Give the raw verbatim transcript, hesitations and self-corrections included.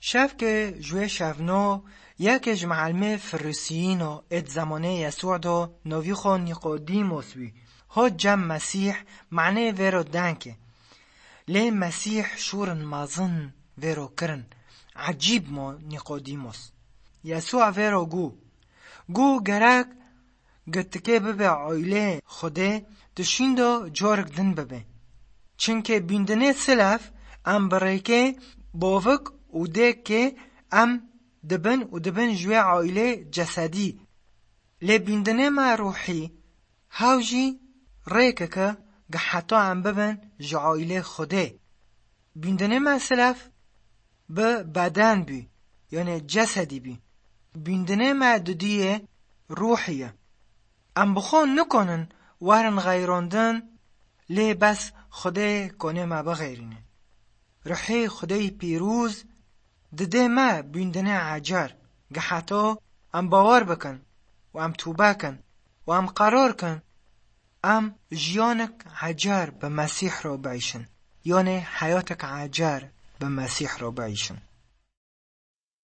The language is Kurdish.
Şevke ji wê şevno yeke ji meelmê Firisiyîno êd zemanê Yesû do novî xwe Nîqodîmos bî. Hot cem Mesîh manê vêro denke. Lê Mesîh şûrin mazin vêro kirin. Ecîb mo Nîqodîmos. Yesû vêro gu. Gu gerek gitikê bibe aîlê Xwedê, tu şîndo corik din bibe. Çimkê bîndinê silef em bi rêkê bovik û dêkê em dibin û dibin ji wê aîlê cesedî. Lê bîndinê me ruhî hew jî rêkeke gi heta em bibin ji aîlê Xwedê. Bîndinê me silef bi beden bî, yanê cesedî bî. Bîndinê me didiyê ruhî ye. Em bi xwe nikonin werin xeyrandin, lê bes Xwedê konê me bixeyrîne. Ruhê Xwedê pîroz didê me bîndinê ecer, gi heta em bawer bikin û em tûbe kin û em qerar kin, em jiyanek ecer bi Mesîh re biîşin, yanê heyatek ecer bi Mesîh re biîşin.